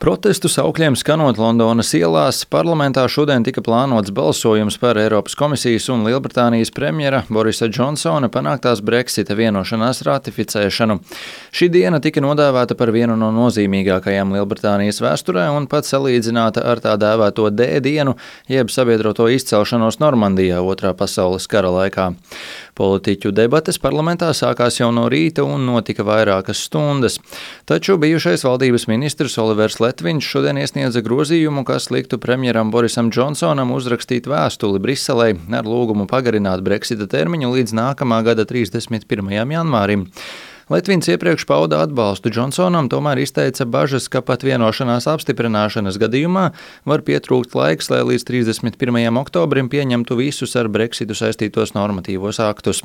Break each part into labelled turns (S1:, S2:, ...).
S1: Protestu saukļiem skanot Londonas ielās, parlamentā šodien tika plānots balsojums par Eiropas komisijas un Lielbritānijas premjera Borisa Džonsona panāktās Brexita vienošanās ratificēšanu. Šī diena tika nodēvēta par vienu no nozīmīgākajām Lielbritānijas vēsturē un pat salīdzināta ar tā dēvēto D-dienu, jeb sabiedroto izcelšanos Normandijā Otrā pasaules kara laikā. Politiķu debates parlamentā sākās jau no rīta un notika vairākas stundas, taču bijušais valdības ministrs Olivers Letviņš šodien iesniedza grozījumu, kas liktu premjeram Borisam Džonsonam uzrakstīt vēstuli Briselei ar lūgumu pagarināt Brexita termiņu līdz nākamā gada 31. janvārim. Letviņš iepriekš pauda atbalstu Džonsonam, tomēr izteica bažas, ka pat vienošanās apstiprināšanas gadījumā var pietrūkt laiks, lai līdz 31. oktobrim pieņemtu visus ar Brexitu saistītos normatīvos aktus.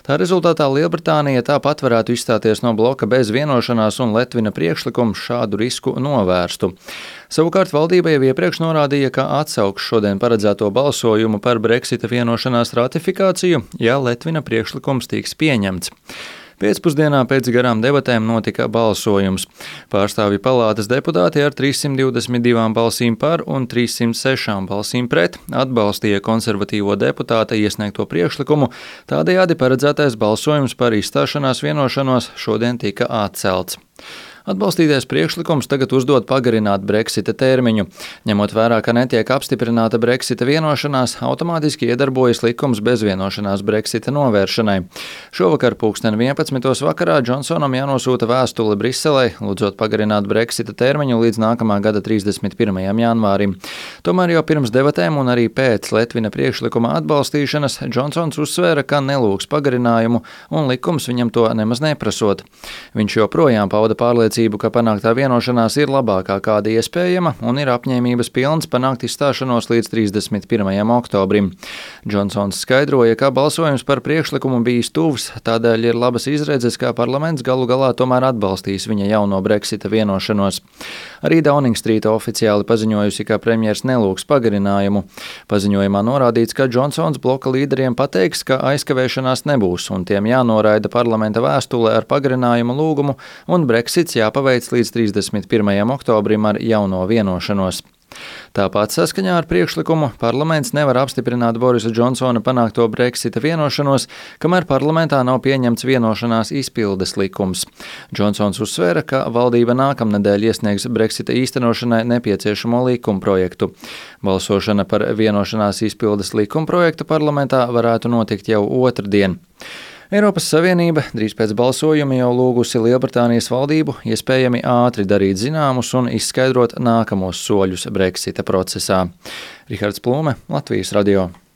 S1: Tā rezultātā Lielbritānija tāpat varētu izstāties no bloka bez vienošanās un Letvina priekšlikums šādu risku novērstu. Savukārt valdība jau iepriekš norādīja, ka atsauks šodien paredzēto balsojumu par Brexita vienošanās ratifikāciju, ja Letvina priekšlikums tiks pieņemts. Pēcpusdienā pēc garām debatēm notika balsojums. Pārstāvju palātas deputāti ar 322 balsīm par un 306 balsīm pret atbalstīja konservatīvo deputāta iesniegto priekšlikumu, tādējādi paredzētais balsojums par izstāšanās vienošanos šodien tika atcelts. Atbalstītais priekšlikums tagad uzdod pagarināt Brexita termiņu. Ņemot vērā, ka netiek apstiprināta Brexita vienošanās, automātiski iedarbojas likums bez vienošanās Brexita novēršanai. Šovakar 11. vakarā Džonsonam jānosūta vēstule Briselei, lūdzot pagarināt Brexita termiņu līdz nākamā gada 31. janvārim. Tomēr jau pirms debatēm un arī pēc Letvina priekšlikuma atbalstīšanas Džonsons uzsvēra, ka nelūgs pagarinājumu un likums viņam to nemaz neprasot. Viņš joprojām pauda pārliecību, ka panāktā vienošanās ir labākā kāda iespējama un ir apņēmības pilns panākt izstāšanos līdz 31. oktobrim. Džonsons skaidroja, ka balsojums par priekšlikumu bijis tuvs, tādēļ ir labas izredzes, ka parlaments galu galā tomēr atbalstīs viņa jauno Brexita vienošanos. Arī Downing Street oficiāli paziņojusi, ka premjers nelūgs pagarinājumu. Paziņojumā norādīts, ka Džonsons bloka līderiem pateiks, ka aizkavēšanās nebūs un tiem jānoraida parlamenta vēstule ar pagarinājumu lūgumu un Brexits jāpaveic līdz 31. oktobrim ar jauno vienošanos. Tāpat saskaņā ar priekšlikumu parlaments nevar apstiprināt Borisa Džonsona panākto Brexita vienošanos, kamēr parlamentā nav pieņemts vienošanās izpildes likums. Džonsons uzsvēra, ka valdība nākamnedēļ iesniegs Brexita īstenošanai nepieciešamo likumprojektu. Balsošana par vienošanās izpildes likumprojektu parlamentā varētu notikt jau otrdien. Eiropas Savienība drīz pēc balsojuma jau lūgusi Lielbritānijas valdību iespējami ātri darīt zināmus un izskaidrot nākamos soļus Brexita procesā. Rihards Plūme, Latvijas radio.